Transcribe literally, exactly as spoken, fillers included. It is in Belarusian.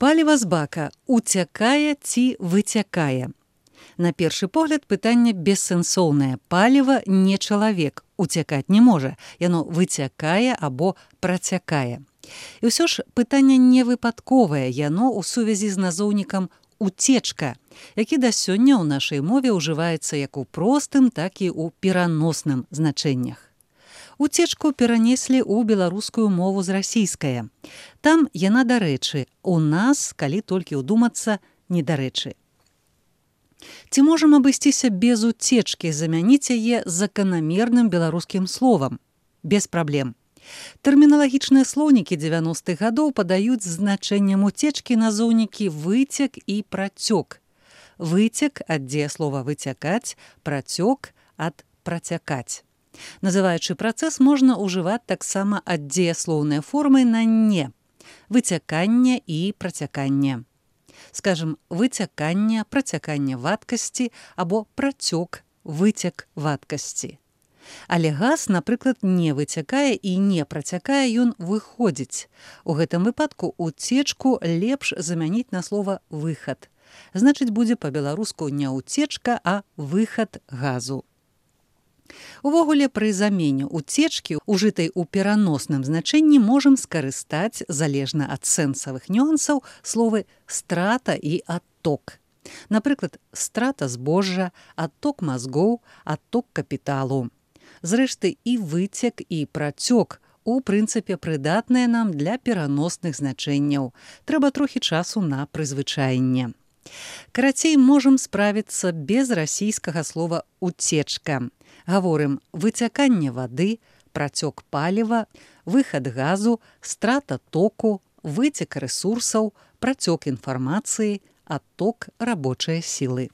Паліва з бака уцякае ці выцякае? На першы погляд пытанне бессэнсоўнае. Паліва не чалавек, уцякаць не можа. Яно выцякае або працякае. І ўсё ж пытанне не выпадковае, яно ў сувязі з назоўнікам «уцечка», які да сёння ў нашай мове ўжываецца як у простым, так і ў пераносным значэннях. Уцечку перанеслі ў беларускую мову з расійскае. Там яна дарэчы, у нас, калі толькі ўдумацца, недарэчы. Ці можам абысціся без уцечкі, замяніць яе заканамерным беларускім словам? Без праблем. Тэрміналагічныя слоўнікі дзевяностых гадоў падаюць значэннем уцечкі назоўнікі выцек і працёк. Выцек ад дзеяслова выцякаць, працёк ад працякаць. Называючы працэс можна ўжываць таксама ад дзеяслоўнай формы на «не» – выцяканне і працяканне. Скажам, выцяканне, працяканне вадкасці або працёк, выцек вадкасці. Але газ, напрыклад, не выцякае і не працякае, ён выходзіць. У гэтым выпадку уцечку лепш замяніць на слова «выхад». Значыць, будзе па-беларуску не уцечка, а выхад газу. Увогуле, пры замене уцечкі, ужытай у пераносным значэнні, можам скарыстаць, залежна ад сэнсавых нюансаў, словы «страта» і «адток». Напрыклад, страта збожжа, адток мазгоў, адток капіталу. Зрэшты, і выцек, і працёк у прынцыпе прыдатныя нам для пераносных значэнняў. Трэба трохі часу на прызвычаенне. Карацей, можам справіцца без расійскага слова «уцечка». Гаворым выцяканне вады, працёк паліва, выхад газу, страта току, выцек рэсурсаў, працёк інфармацыі, адток рабочай сілы.